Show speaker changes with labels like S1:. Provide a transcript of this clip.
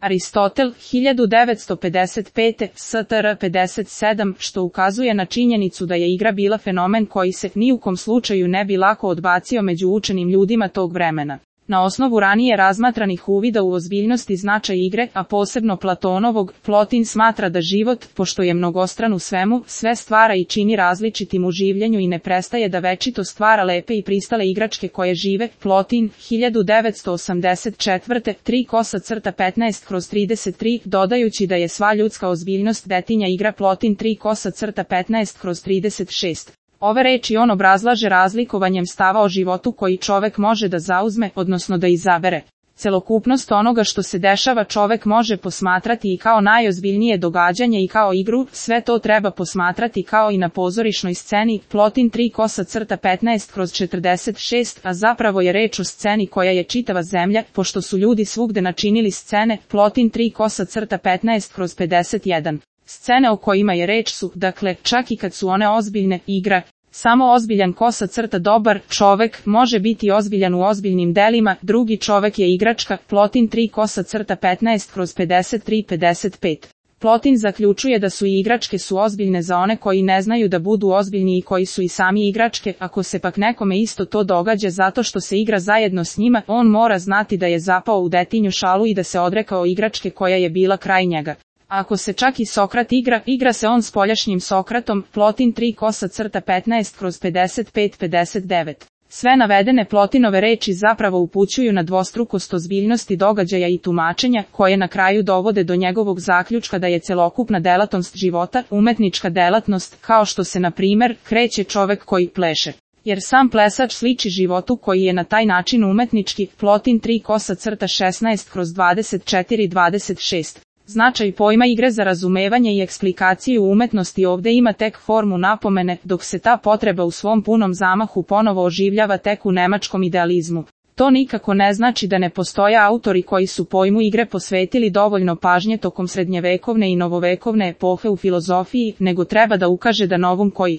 S1: Aristotel, 1955, STR 57, što ukazuje na činjenicu da je igra bila fenomen koji se ni u kom slučaju ne bi lako odbacio među učenim ljudima tog vremena. Na osnovu ranije razmatranih uvida u ozbiljnost i značaj igre, a posebno Platonovog, Plotin smatra da život, pošto je mnogostran u svemu, sve stvara i čini različitim u življenju i ne prestaje da večito stvara lepe i pristale igračke koje žive. Plotin, 1984, 3:15/33, dodajući da je sva ljudska ozbiljnost detinja igra. Plotin 3:15/36. Ove reči on obrazlaže razlikovanjem stava o životu koji čovek može da zauzme, odnosno da izabere. Celokupnost onoga što se dešava čovek može posmatrati i kao najozbiljnije događanje i kao igru, sve to treba posmatrati kao i na pozorišnoj sceni. Plotin 3:15/46, a zapravo je reč o sceni koja je čitava zemlja, pošto su ljudi svugde načinili scene. Plotin 3:15/51. Scene o kojima je reč su, dakle, čak i kad su one ozbiljne, igra. Samo ozbiljan dobar čovek može biti ozbiljan u ozbiljnim delima, drugi čovek je igračka. Plotin 3:15/53-55. Plotin zaključuje da su i igračke su ozbiljne za one koji ne znaju da budu ozbiljni i koji su i sami igračke. Ako se pak nekome isto to događa zato što se igra zajedno s njima, on mora znati da je zapao u detinju šalu i da se odrekao igračke koja je bila kraj njega. Ako se čak i Sokrat igra se on spoljašnjim Sokratom. Plotin 3:15/55-59. Sve navedene Plotinove reči zapravo upućuju na dvostrukost ozbiljnosti događaja i tumačenja, koje na kraju dovode do njegovog zaključka da je celokupna delatnost života umetnička delatnost, kao što se na primer kreće čovek koji pleše. Jer sam plesač sliči životu koji je na taj način umetnički. Plotin 3:16/24-26. Značaj pojma igre za razumevanje i eksplikaciju umetnosti ovde ima tek formu napomene, dok se ta potreba u svom punom zamahu ponovo oživljava tek u nemačkom idealizmu. To nikako ne znači da ne postoje autori koji su pojmu igre posvetili dovoljno pažnje tokom srednjevekovne i novovekovne epohe u filozofiji, nego treba da ukaže da novum koji